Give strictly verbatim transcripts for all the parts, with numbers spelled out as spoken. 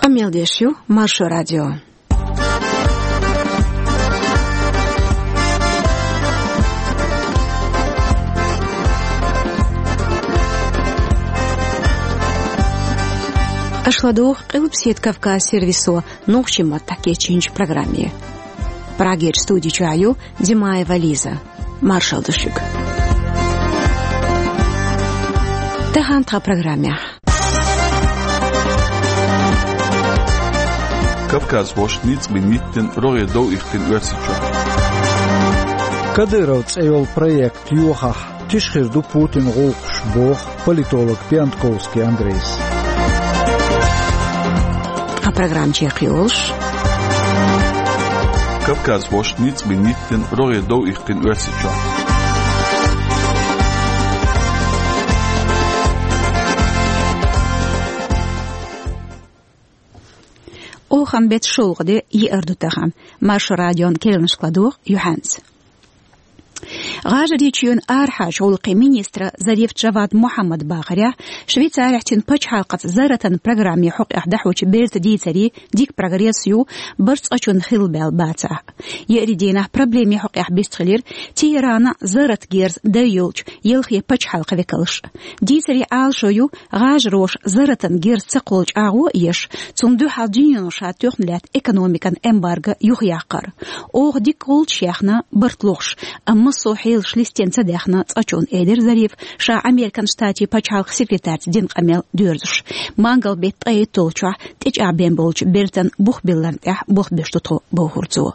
Мел деш ю Маршо радио. Аша ладугӀу Къилбаседа Кавказ сервисо нохчийн маттахь кечйинчу программе. Прагерчу студи чохь ю Димаева Лиза. Маршалла ду шуьга. Тахана тхан программехь. Кавказхоша ницкъ бина йиттина рогӀера дов иккхина Оьрсийчохь. Кадыров цӀе йолу проект йохахь, тиша хир ду Путинан гӀуллакхаш, боху политолог Пиантковский Андрейс. Тхан программа чекхйолуш. Кавказхоша ницкъ бина йиттина рогӀера дов иккхина Оьрсийчохь. Охан беттан шолгӀа де, еара ду тахана. Маршо радион керланашка ладугӀу юьхьанца. ГӀажарийчоьнан арахьарчу гӀуллакхийн министра Зариф Джавад Мухьаммада бахарехь, Швейцарехь цуьнан пачхьалкхаца зарратан программе хьокъехь дӀахьочу бертан дийцаре дика прогресс ю, барт цкъачунна хилла баьлла бацахь. Еарин дийнахь проблеме хьокъехь бистхилира Тегерана зарратан герз дай йолчу ялхе пачхьалкхан векалш. Дийцаре Ӏалашо ю, гӀажароша зарратан герз ца кхоллучу агӀо а еш, цунна дуьхьал дуьнено ша тоьхна лаьтта экономикан эмбарго юхаяккхар. Оха дика гӀулчаш яьхна барт лохуш, амма массо а хьелаш листина ца даьхна цкъачунна, элира Зарифа, ша Американ Штатийн пачхьалкхан секретарца дина къамел доьрзуш. Мангал беттан ткъе итталгӀачохь тӀечӀагӀбина болчу бертан бух билларна тӀехь болх беш ду тхо, бохура цо.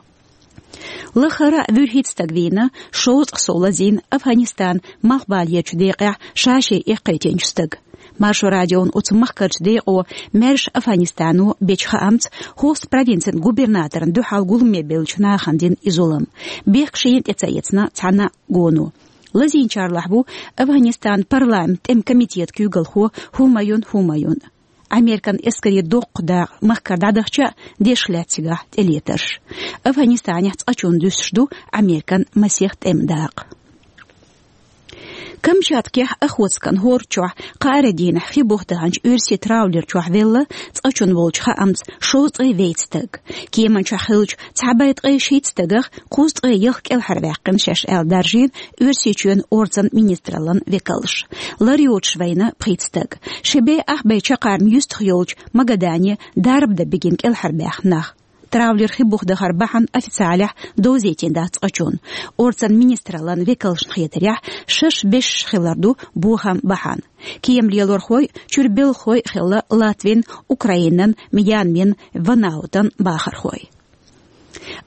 Лахара вуьрхӀитта стаг вийна, шовзткъа сов лазийна Афганистанан малхбалерчу декъехь ша-шен эккхийтинчу стага. Маршо радион оцу махкарчу декъо маьрша Афганистано бечу хаамца, Хост провинцин губернаторна дуьхьал гуламе бевллачу нахана дина и зулам. Бехк шена тӀе ца эцна цхьана а гоно. Лазийначарлахь ву Афганистанан парламентан тӀеман комитетан куьйгалхо ХӀумаюн ХӀумаюн. Американ эскарийн доккха дакъа махкара дӀадахча а, деш лаьцна цигахь тӀелетарш. Афганистанехь цкъачунна дуьсуш ду Американ масех тӀеман дакъа. Камчаткехь Охотскан хӀорда чохь кхааран дийнахь хи бух даханчу оьрсийн траулер чохь велла цкъачунна волчу хаамца шовзткъе вейтта стаг. Кеман чохь хиллачу цхьа бӀе ткъе шийтта стагах кхузткъе ялх кӀелхьарваьккхина шаьш аьлла даржийна Оьрсийчоьнан орцан министраллан векалш. Лар йоцуш вайна пхийтта стаг. Ши бӀе ах бӀе чаккхарма юьстах йолчу Магадане дарба дан бигина кӀелхьарбаьхна нах. Траулер хи бух дахар бахьана официалехь довзийтина дац цкъачунна. Орцан министраллан векалшна хетарехь, шаьш бешаш хилар ду бохам бахьана. Кема лелорхой а, чуьра белхахой а хилла Латвин, Украинан, Мьянмин, Ванаутан бахархой.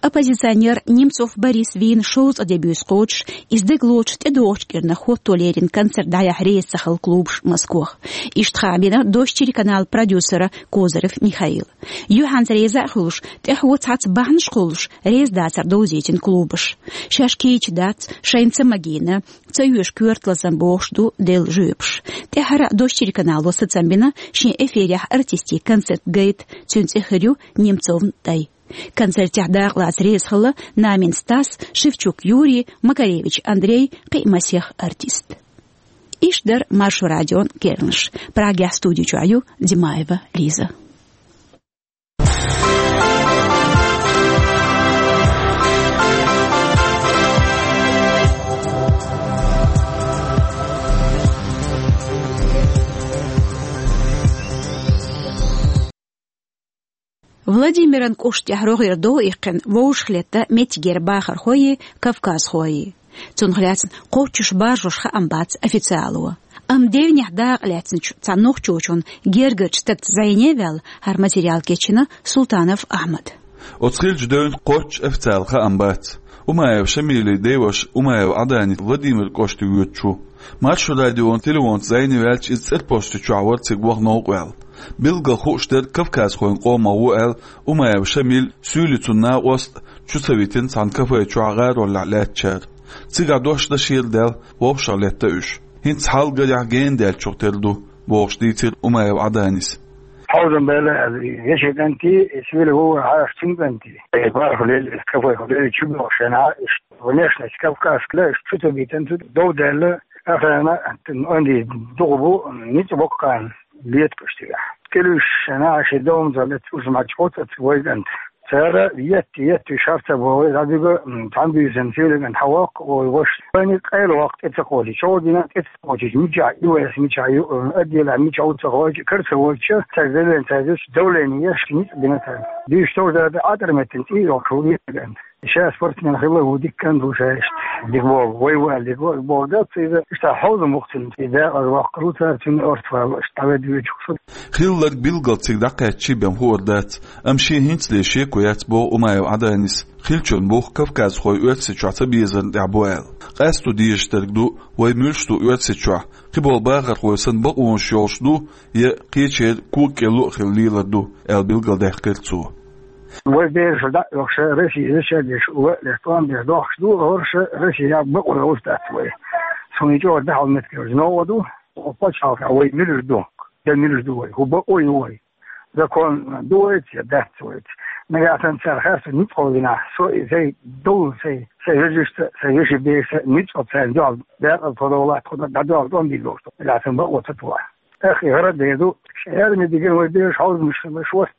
Оппозиционер Немцов Борис вийна шовзткъа де буьйса кхочуш, иза даг лоцуш тӀедогӀучу кӀирнах хӀотто леррина концерт дӀаяхьа реза ца хилла клубаш Москох. Иштта хаам бина Дождь телеканалан продюсера Козырев Михаила. Юьхьанца реза а хуьлуш, тӀаьхьо цхьацца бахьанаш кхуллуш, реза дацар довзийтина клубаш. Шаьш кийча дац, шайна ца магийна, ца оьшу коьрта лазам бохуш ду делла жоьпаш. ТӀаьххьара Дождь телеканало сацам бина шен эфирехь артистийн концерт гайта, цуьнан цӀе хир ю Немцовн тӀай. Концертехь дакъалаца реза хилла Намин Стас, Шевчук Юрий, Макаревич Андрей, кхин а масех артист. Иштта дара Маршо радион керланаш. Прагехь студи чохь ю Димаева Лиза. Владимиран кӀоштехь рогӀера дов иккхина вовшахлетта меттигера бахархойи кавказхойи. Цунах лаьцна кхоччуш баржош хаам бац официало. Амма девнехь дакъа лаьцначу цхьа нохчочун гергарчу стагца зӀене а ваьлла, хӀара материал кечйина Султанов Ахьмада. Оцу хиллачу девнах кхоччуш официала хаам бац. Умаев Шамилан деваша Умаев Ӏаданис Владимир кӀоште воьдуш ву. Маршо радион телефонца зӀене ваьлча, иза цӀерпосту чохь вара цига ваха новкъа ваьлла. Билггал хууш дерг кавказхойн къомах ву аьлла, Умаев Шамил, суьйлицун накъост а чу ца витина цхьана кафе чохь гӀароллехь лаьттачара. Цигахь дош дан шера даьлла, вовшахлетта уьш. ХӀинца хьал гарехь гена даьллачух тера ду, бохуш дийцира Умаев Ӏаданис. Хьовзам баьлла, вешин кӀанти, суьйла вовшахлетта цуьнан кӀанти. Э, бархӀ лели, кафе лели чу боху шена, иштта, внешность кавказская, чу ца битина, цу дов даьлла, охрана, онди дукха бу, ницкъ боккха. леташ тигахь. Килуьш шен а ши домза лет уж мач оцац вайган. Цара етти, етти шарца бо вай, забига, м, там бизен силиган хавак, ой, ваш. Вани къайла вакт эца холи, чо дина эца холи, мича, и вайс мича, ю, м, отдела мича уца холи, карца войча, так далее, так далее, давление, яшки, ниц дина так. Диш тоже да, да, атар метен, и вак, шо витген. Ша спортсмен хила, ву диккан ду шаешт. Дик бол, вай вал, дик бол, бол, да, ци да, иштта хоза мухтин, ци да, аз вак, крутар, цин орт вал, иштта вед вичук. Хилларг билгал цига дӀакхаьччи бен хӀора дац, амма шен хӀинцале шеко яц боху Умаев Ӏаданис. Хиллачун бух кавказхой Оьрсийчохь ца безарна тӀехь бу аьлла. Къасто дезаш дерг ду, вай муьлш ду Оьрсийчохь, кхиболу бахархой санна бакъонаш йолуш ду, я кхечеран кога кӀел луъ хила лелар ду, аьлла билгалдаьккхира цо. Вай бераш дӀа а йохуш, Россия зачадеш, валлеш, тӀом беш дохуш ду, хӀорш Россия бакъо йолуш дац вай. Суна чӀогӀа дахьал меттиг йолуш новкъа ду, пачхьалкхехь вай муьлш ду, я муьлш ду вай, хӀун бакъо ю вай. Закон ду вайца, я дац вайца. Нагахь санна цара харцо ницкъ гӀо динахь, со и сай долу сай, сай вежаршца, сай вешин берашца ницкъ гӀо царна дуьхьал дакъа тхо долахь, тхо дӀадоьлху тӀом дийр долуш ду. Нагахь санна бакъо ца тухахь. Эх, и хӀара дер ду, ша аьрмийн дигина вай бераш хьовзамаш хила, шуьца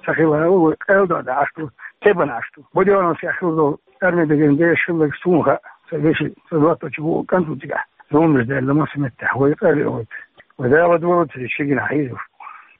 ца хила, вай къайла дан Ӏаш ду, тебан Ӏаш ду. Будённовскехь хила долу аьрмийн дигина бераш хилларг суна хаьа, сан вешин, сан доттагӀчу бу кӀант ву цигахь. Зуламаш даьлла массо меттехь, вай къайла вайта. Вай Дала долуций ши гина хьийзуш.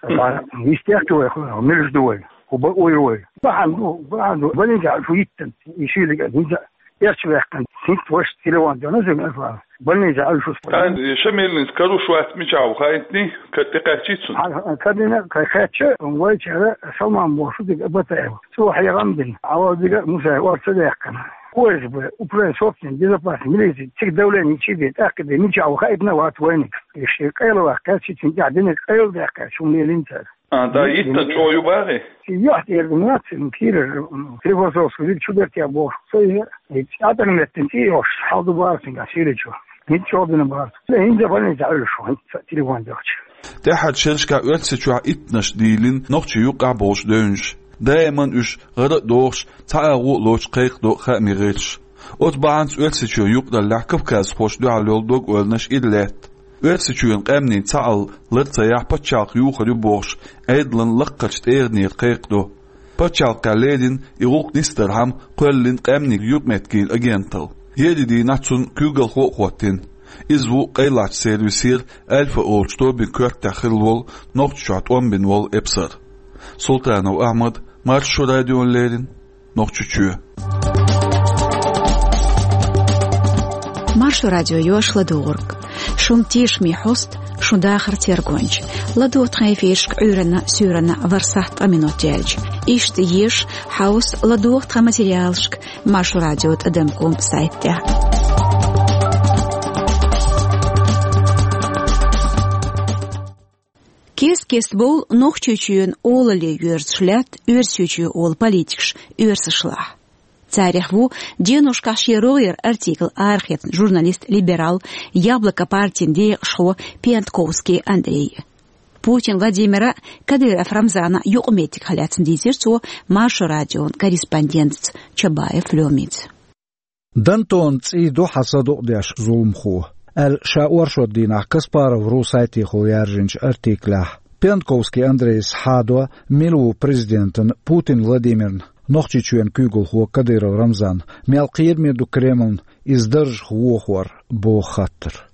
Ткъа йистехь ду вай, хӀун муьлш ду вай, хӀун бакъо ю вай. Бахьана ду, бахьана ду, больница шу йиттан, и шийлиг а хӀинца. Эрча ваьккхина, хӀинца ваша телефон дена, зуьйна аса. Больница Ӏуьйшуш. Тан, ша меллинца каруш вац мичахь ву хаийтний, ка-, тӀекхаьччий цунна? Хьан, хьан, карина, кхай кхаьчча, вайчара Салман боху шу дика Батаев. Цо хьехам дина. Ӏавал дика Мусаев орца даьккхина. О С Б, управление собственной безопасности, милиция, цига давление чу бен, тӀаккха бен, мичахь ву хаийтина вац вайниг. И ши къайла ваьккхи, кхаьччи цуьнан тӀехь динарг къайла даьккхи, шу меллинца. А, да, йиттан чӀогӀа ю бахи? Йохь тӀера ду нацин, кийра, м, Склифосовский виг чу бертехь бохуш. Со и, и атар меттина цӀий йохуш, хьал ду бара цуьнга, сийлачо. ХӀинца чӀогӀа дина бара. Со хӀинца больница Ӏуьллуш ву, хӀинца телефон дехча. ТӀаьххьарчу шерашкахь Оьрсийчохь иттанаш дийлина нохчий юкъахь болчу девнаш. Даиман уьш гӀара а дохуш, цхьа агӀо а лоцуш кхайкхадо хаамийн гӀирсаш. Оцу бахьанца Оьрсийчоь юкъараллехь кавказхошна дуьхьал йолу дог-ойланаш ира лаьтта. Оьрсийчоьнан къаьмнийн цхьаалла лар ца яхь пачхьалкх юхур ю бохуш, Ӏедалан лакхарчу тӀегӀанера кхайкхадо. Пачхьалкхехь леррина и гӀуллакх нисдархьама кхоьллина къаьмнийн юкъаметтигийн агенталла. Еарин дийнахь цунна куьйгалхо а хӀоттийна. Иза ву къайлахчу сервисера Альфа олучу тобин коьртехь хилла волу, Нохчийчохь тӀом бина волу эпсар. Султанов Ахьмад, Маршо радиона леррина, Нохчийчоь. Маршо радио йош ладугӀург. Шун тешаме хьоста, шун дахар тергонча. ЛадогӀа тхан эфиршка Ӏуьйранна, суьйранна ворхӀ сахьт ткъа минот яьлча. Иштта еша, хьовса, ладогӀа тхан материалшка Маршо радио тӀадам ком сайт тӀехь. Кест-кеста бовла Нохчийчоьнан олалле йоьрзуш лаьтта Оьрсийчоь олу политикаш оьрсашлахь. Царех ву деношкахь шен рогӀера артикл арахецна журналист-либерал, Яблоко партин декъашхо Пиантковский Андрей. Путин Владимира, Кадыров Рамзана юкъаметтигах лаьцна дийцира цо Маршо радион корреспондентаца Чабаев Лёмица. Дантон цӀий ду хьан са дукъдеш, зуламхо, аьлла, ша оршот дийнахь Каспаров ру сайтехула яржинчу артиклехь, Пиантковский Андрейс хьадо мила ву президентан Путин Владимирна, Нохчийчоьнан куьйгалхо Кадыров Рамзанна, мел кхераме ду Кремлна иза даржах вохор, боху хаттар.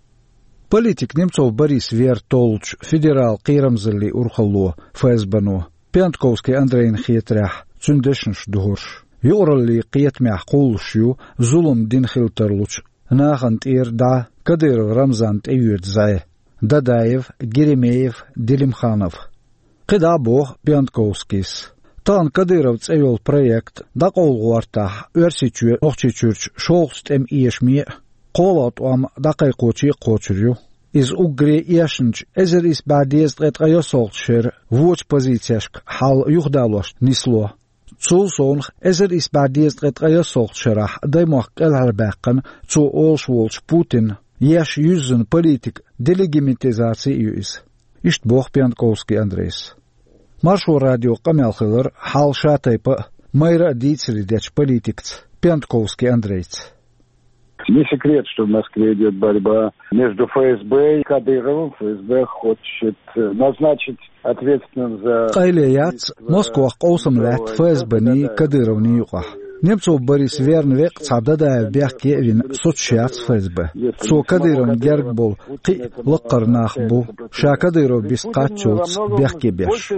Политик Немцов Борис вер толлучу федерал кхерамзаллин урхалло, ФСБ-но, Пиантковский Андрейна хетарехь, цуьнан дешнаш духурш. Юкъараллин кхетамехь кхуллуш ю зулам дина хила тарлучу, нахана тӀера дӀа Кадыров Рамзанна тӀеоьцу зӀе: Дадаев, Геремеев, Делимханов. КхидӀа а боху Пиантковскийс, тахана Кадыров цӀе йолу проект дӀакъовла гӀортахь, Оьрсийчоь Нохчийчуьрчу шолгӀачу тӀеман эшаме а, кхоалгӀа тӀом дӀакхайкхоче а кхочур ю. Иза уггаре а эшначу эзар исс бӀе дезткъе ткъайоьссалгӀачу шеран вочу позицешка хьал юхадалош нисло. Цул совнаха, эзар исс бӀе дезткъе ткъайоьссалгӀачу шарахь даймохк кӀелхьарбаьккхина цо олуш волчу Путинна еш юьззина политикан делегимитизаци а ю иза. Иштта боху Пиантковский Андрейс. Маршо радион къамел хилира хьал шатайпа а, майра а дийцаре дечу политикаца, Пиантковский Андрейца. Не секрет, что в Москве идет борьба между ФСБ и Кадыровым. ФСБ хочет назначить ответственным за... Къайле яц, Москвах къовсам лаьтта ФСБ-ни Кадыровни юкъахь. Немцов Борис верна веккъа цхьа Дадаев бехке а вина соцуш яц ФСБ. Цо Кадыровна герга болу кхин а лаккхара нах бу, ша Кадыров бист кхаччалц бехке беш.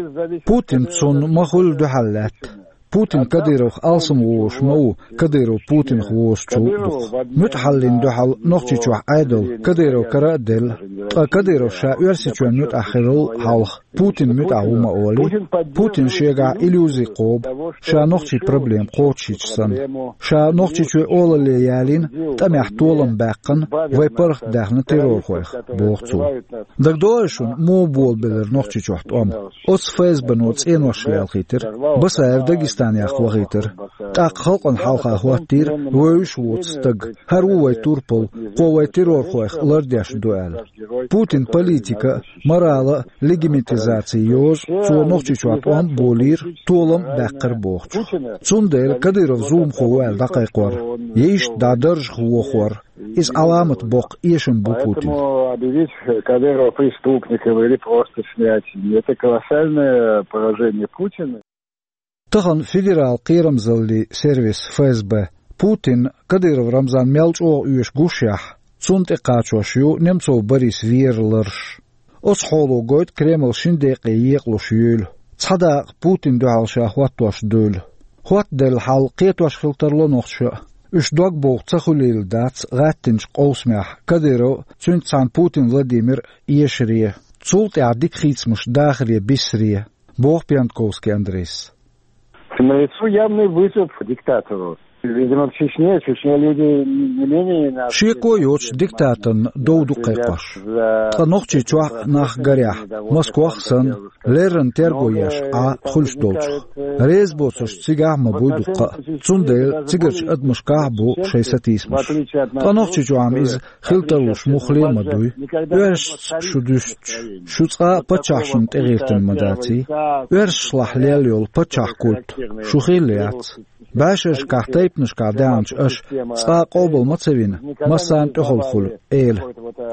Путин цунна ма хуьллу дуьхьал лаьтта. Путин Кадыровх алсам вовзуш ма ву, Кадыров Путинах вовзучул а дукха. МуьтӀахьаллин дуьхьал Нохчийчохь Ӏедал Кадыров кара а делла, ткъа Кадыров ша Оьрсийчоьнан муьтӀахь хиларал хьалха Путин муьтӀахь ву ма олий. Путин шегахь иллюзи кхобу, ша нохчийн проблема кхочушйича санна. Ша Нохчийчоь олалле ялийна, тӀамехь толам баьккхина, вай паргӀат даьхна террорхойх, боху цо. ДагадогӀий шуна, муха болабелира Нохчийчохь тӀом? Оцу ФСБ-но цӀенош лелхийтира, Басаев Дагестанех вахийтира. ТӀаккха халкъана хьалха хӀоттийра вевзаш воцу стаг. ХӀара ву вай турпал, кхо вай террорхойх лардеш ду аьлла. Путин политика а, морала а легимитизаци йозу, цо Нохчийчохь тӀом а болийра, толам а баьккхира бохучух. Цундела Кадыров зуламхо ву аьлла дӀакхайкхор, я иштта дӀа даржах вохор, иза Ӏаламат боккха эшам бу Путина. Поэтому объявить Кадырова преступником или просто снять, это колоссальное поражение Путина. Тахана федерал кхерамзаллин сервис ФСБ Путинна Кадыров Рамзан мел чӀогӀа оьшу гушшехь, цунна тӀекхачош ю Немцов Борис вера ларш. Оцу хьоло гойту Кремль шина декъе екъалуш юйла. Цхьа дакъа Путинна дуьхьал ша хӀоттош дуйла. ХӀоттаделла хьал кхетош хила тарло нохчаша а. Уьш дог бовха ца хуьлийла дац гӀаьттинчу къовсамехь Кадыров а, цуьнца цхьаьна Путин Владимир а эшаре. Цул тӀаьхьа дика хийцамаш дахаре, биссаре, боху Пьянковский Андрейс. Налицо явный вызов диктатору. Видимо, в Чечне, в Чечне люди не менее нас... Шеко йоцуш диктаторна дов ду кхайкхош. Ткъа Нохчийчохь а нах гарехь, Москвах а санна, леррина терго еш Ӏа хуьлуш долчух. Реза боцурш цигахь а ма буй дуккха а. Цундела цигарчу адамашкахь а бу шайн сатийсамаш. Ткъа Нохчийчохь-м иза хила тарлуш муххале а ма дуй. Оьрсашца шу дуьстича, шу цкъа а паччахьашна тӀегӀертина ма даций? Оьрсашлахь лелла йолу паччахь культ шу хилла яц. БӀешерашкахь, тайпанашкахь даьхначу аша цкъа а къобал ма ца вина, массарна тӀехула хуьлу эла.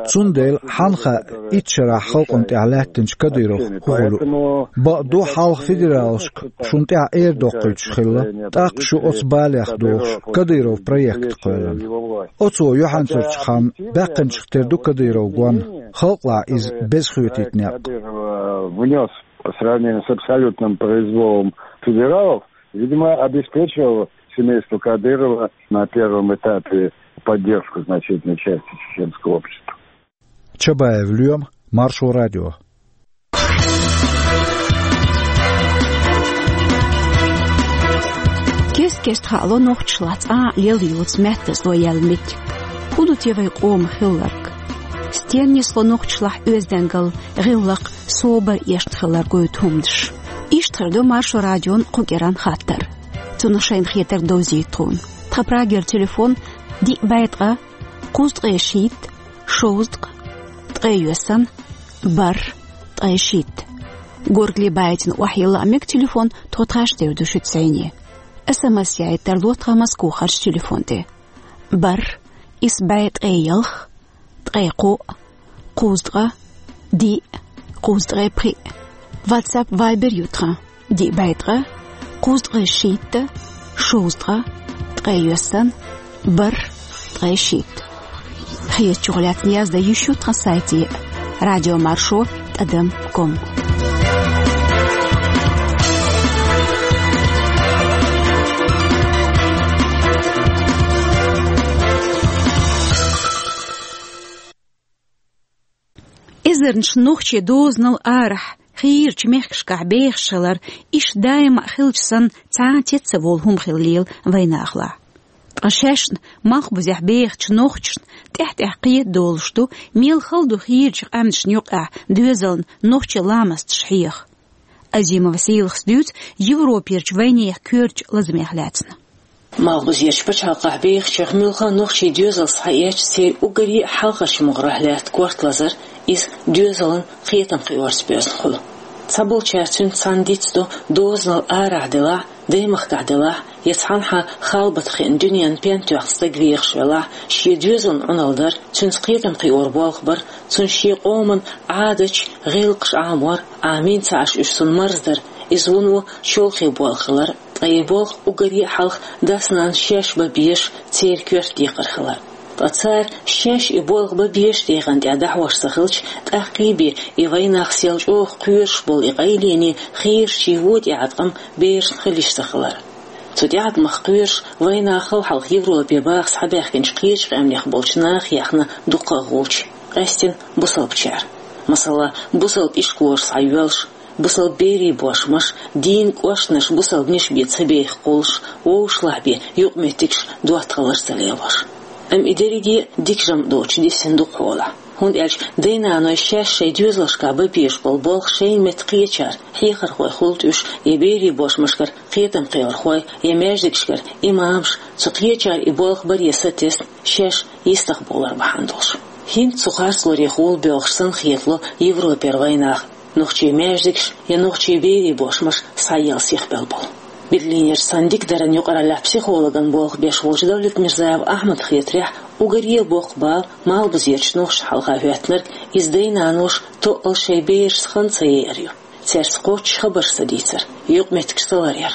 Цундела хьанна хаьа итт шарахь халкъана тӀехь лаьттинчу Кадыровх хӀун хуьлу? Бакъду, хьалха федералашка шуна тӀехь эр доккхуьйтуш хилла, тӀаккха шу оцу балех дохуш Кадыров проект кхоьллина. Оцо юьхьанцарчу ханна баьккхинчух тера ду Кадыров гон, халкъалахь иза беза хетийта некъ. Кадыров, э, внёс по сравнению с абсолютным произволом федералов, видимо, обеспечил семейству Кадырова на первом этапе поддержку значительной части чеченского общества. Чабаев Лоьма, Маршо радио. Кест-кеста хаало нохчашлахь цкъа а лелла йоцу маьттазло яьлла меттиг. ХӀун ду те вай къоман хилларг? Стенна нисло нохчашлахь оьздангалла, гӀиллакх, собар эшна хилар гойту хӀуманаш? Иштта хир ду Маршо радион кху кӀиранан хаттар. Цунах шайна хетарг довзийта тхуна. Тхан Прагера телефон: диъ бӀе ткъа, кхузткъе шийтта, шовзткъа, ткъе йоьссана, бархӀ, ткъе шийтта. Горгали байтина охьайилла а мега телефон, тхо тхаьш тера ду шуьца зӀене. СМС яийта тарло тхан Москвахарчу телефон тӀе: бархӀ, исс бӀе ткъе ялх, ткъе кхоъ, кхузткъа, диъ, кхузткъе пхиъ. WhatsApp, Viber ю тхан: диъ бӀе ткъа, кхузткъе шийтта, шовзткъа, ткъе йоьссана, бархӀ, ткъе шийтта. Хетачух лаьцна яздан йиш ю тхан сайте: радиомаршо тӀадам ком. Эзарнаш нохчий дозанал арахь, хийрачу мехкашкахь бехаш хилар, иштта даима а хилча санна, цхьа а тет ца волу хӀума хила лела вайнахалахь. Ткъа шаьшна малхбузехь бехачу нохчашна тӀаьхь-тӀаьхьа кхета долуш ду, мел хала ду хийрачу къаьмнашна юкъахь доьзална нохчийн ламасташ хьеха. Азимова Сийлахас дуьйцу Европерчу вайнехан коьртачу лазамех лаьцна. Малхбузерчу пачхьалкхахь бехачех муьлхха а нохчийн доьзал схьаэцча, церан уггаре а хьалхарчу могӀарехь лаьтта корта лазар, иза доьзалан кхетам кхиорца боьзна хуьлу. Цхьаболчара цуьнца цхьаьна дицдо дозанал арахь делахь а, Даймахкахь делахь, я цхьанхьа халбатах хиъна дуьненна пен тоьхна стаг вехаш велахь, шен доьзална Ӏуналла дар, цуьнца кхетам кхиор болх бар, цунна шен къоман Ӏадаташ, гӀиллакхаш Ӏамор, Ӏамийна ца Ӏаш уьш цунна марздар, иза вуно чолхе болх хилар, ткъа и болх уггаре а хьалха дас-нанас шаьш бан безаш, церан коьрта декхар хилар. Ткъа цара шаьш и болх бан безаш дегӀан тӀехь дӀахьош ца хилча, тӀаккхий бен и вайнах сел чӀогӀа кхоьруш болу и къайлене хийрачийн вон тӀеӀаткъам берашна хила йиш ца хилар. Цу тӀеӀаткъамах кхоьруш вайнахал хьалха Европе баха схьабаьхкинчу кхечу къаьмнех болчу наха яьхна дуккха а гӀулч, къаьсттина бусалбачара. Масала, бусалба ишколаш схьайоьллуш, бусалба берийн бошмаш, дийнан кӀошташ бусалбанаш бен ца беха кхуллуш, вовшашлахь бен юкъаметтигаш доттагӀаллаш ца лелош. Амма и дерриге а дика жамӀ доцуш дисина ду-кх хьолахь. ХӀунда аьлча дай-наной шаьш шайн доьзалшкахь бан безаш болу болх шайна метта кхечара, хьехархой хуьлда уьш, я берийн бошмашкара кхетам кхиорхой, я маьждигашкара имамаш, цу кхечара и болх баре сатесна, шаьш йистах бовлар бахьана долуш. ХӀинца цу харцлоре хьулбоьлхуш санна хетало Европера вайнах, нохчийн маьждигаш я нохчийн берийн бошмаш схьаелла сихбелла болу. Берлинерчу цхьана дика даран юкъараллехь психологан болх беш волчу Давлетмирзаев Ахьмада хетарехь, уггаре а боккха бала Малхбузерчу нохчашна хьалха хӀоьттинарг иза дай-наноша тоъал шайн берашца хан ца яр ю, цаьрца кхоччуш хабарш ца дийцар, юкъаметтигаш ца ларъяр.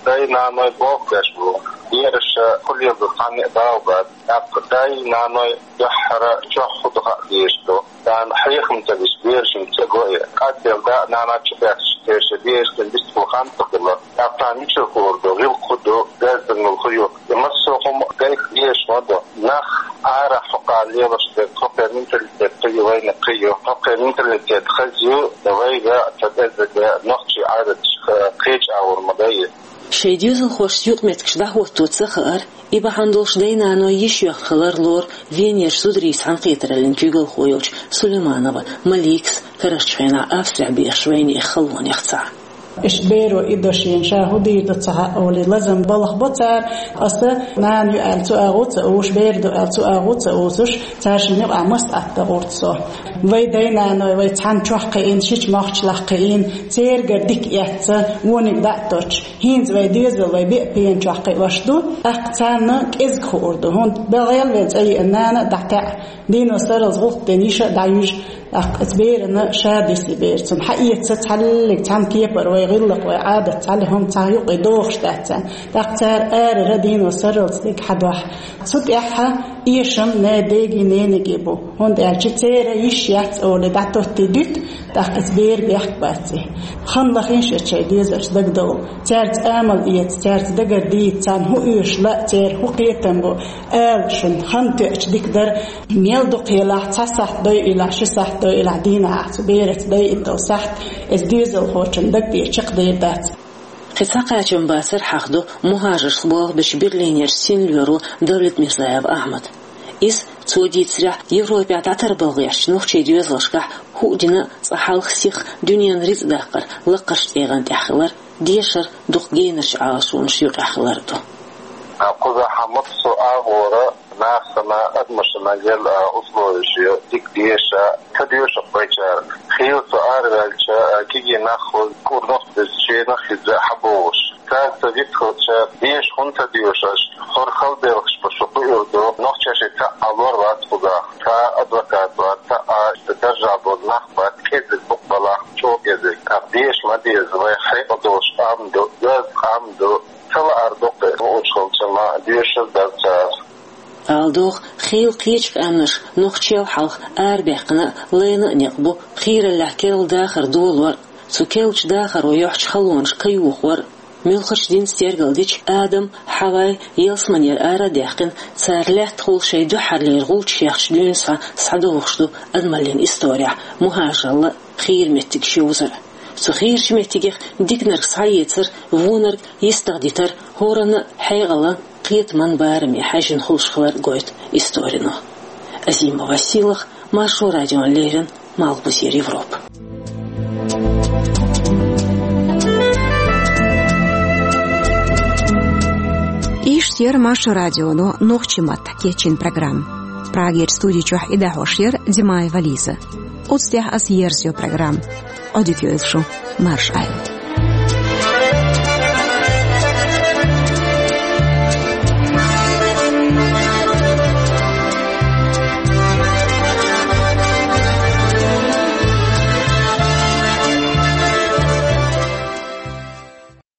Дай-наной болх беш бу, бераша хуьлийла ду цхьанна а бала бац. ТӀаккха дай-наной дуьххьара чохь хӀун ду хаа дезаш ду. Царна хьехам ца беш, берашна ца го и. Къаьсттина да а, нана а чу баьхча, церан шайн берашна бистхула хан ца хуьлу. ТӀаккха царна мичара хуур ду, гӀиллакх хӀун ду, бездарнал хӀун ю? И массо а хӀума гайта дезаш ма ду. Нах арахь хӀокху лелош дерг, хӀокхеран менталитет кхин ю, вайнах кхин ю. ХӀокхеран менталитет хаза ю, вайга а ца безза, нохчийн Ӏадаташка кхечу агӀор ма дай. Шайн доьзалхошца юкъаметтигаш дӀахӀотто ца хаар, и бахьана долуш дай-наной йиш йоьхна хилар лору Венерчу зударийн цхьаьнакхетараллин куьйгалхо йолчу Сулейманова Маликас карарчу хенахь Австрехь бехаш вайнехан халонех цхьаъ. Иштта беро и до шена, ша хӀун дийр ду ца хаьа олий, лазам балха бо цара, аса нана ю аьлла цу агӀо ца уьш, бер ду аьлла цу агӀо ца уьш, цара шина юкъахь маста атта гӀурта со. Вай дай-наной вай цхьаьна чохь кхиийна, шича мохчаллах кхиийна, церагара дика эцна, вониг дӀа а тоттуш, хӀинца вай доьзал вай беа пена чохь кхиош ду, тӀаккха царна кӀезиг хуур ду. ХӀунда аьлча гӀелвен цӀа еана нана а дӀатаьӀа, дийно сарралц гӀуллакх дина йиша а дӀаюьжу, тӀаккха оцу берана ша дисте бер. Цунна хьаэца цхьаллиг цхьана кепара вай гӀиллакх, вай Ӏадат цхьаллиг хӀума цхьа юкъе дохуш дац царна. ТӀаккха цара арара дийно сарралц дерг хьадохьу. Цу тӀехь эшам нана-деги, ненеги бу. ХӀунда аьлча церан йиш яц олий дӀатоттий дуьту, тӀаккха оцу беран бехк бац и. Хан лахийша шайн доьзалшца дагадовла. Цаьрца амал эца, цаьрца дагара дийца, царна хӀун оьшу лаа, церан хӀун кхетам бу, ала шуна, хан тоьучу дика дара. Мел дукха елахь, цхьа сахьт дойъуьйлахь, ши сахьт дойъуьйлахь, дийнахь ахь цу бераца дойъуьйту сахьт, оцу доьзалхочун даг тӀера чекхдер дац. Кхин цхьа кхачам бацар хьахдо мухӀажаршца болх бечу Берлинерчу синлоьро Давлетмирзаев Ахьмада. Иза, цо дийцарехь, Европехь дӀатарбала гӀертачу нохчийн доьзалшкахь хӀуъа дина а цкъа хьалха сиха дуьненан рицкъ даккхар лакхарчу тӀегӀан тӀехь хилар, дешар дукха генарчу Ӏалашонаш юкъахь хилар ду. Кхузахь массо а агӀора нахана, адамашна гел а условиш ю, дика деша, ца доьшуш байчара. Хийла со араваьлча, кегий нах хуьлу, кӀур нохчий шенах хилча хьабогӀуш. Цаьрца виц хилча, деша хӀунда ца доьшу аша? ХӀара хала белхаш бу, шу кхуьур ду. Нохчаша цхьаъ а лор вац кхузахь, цхьа адвокат вац, цхьа а даржехь болу нах бац, кӀезиг бу-кх балахь, чӀогӀа кӀезиг. ТӀаккха деша ма деза, вай хьекъал долуш къам ду, доьзна къам ду. Ца лаар ду-кх, уьш хилча ма доьшур дара цара. Ала догӀу, хийла кхечу къаьмнаша нохчел хьалха арабаьккхина а, лайна а некъ бу, хийраллехь керла дахар долор а, цу керлачу дахаро йохьучу халонашка каюхор а. Муьлххачу динца тергалдича, Адам а, Хьавай а ялсаманера ара а даьккхина, цара лаьттахула шайн дуьххьарлера гӀулчаш яьхначу дуьйна схьа схьадогӀуш ду адамаллин исторехь мухӀажаралла а, хийра меттигаш йовзар а. Цу хийрачу меттигех диканиг схьаэцар, вониг йистахдитар хӀоранна а хьекъалан, кхетаман бараме хьаьжжина хуьлуш хилар гойту историно. Азимова Сийлаха, Маршо радиона леррина, Малхбузера Европа. Иштта яра Маршо радионо нохчийн маттахь кечйина программа. Прагерчу студи чохь и дӀахьош яра Димаева Лиза. Оцу тӀехь аса ерзайо программа. Ӏодика йойла шу, марша Ӏойла.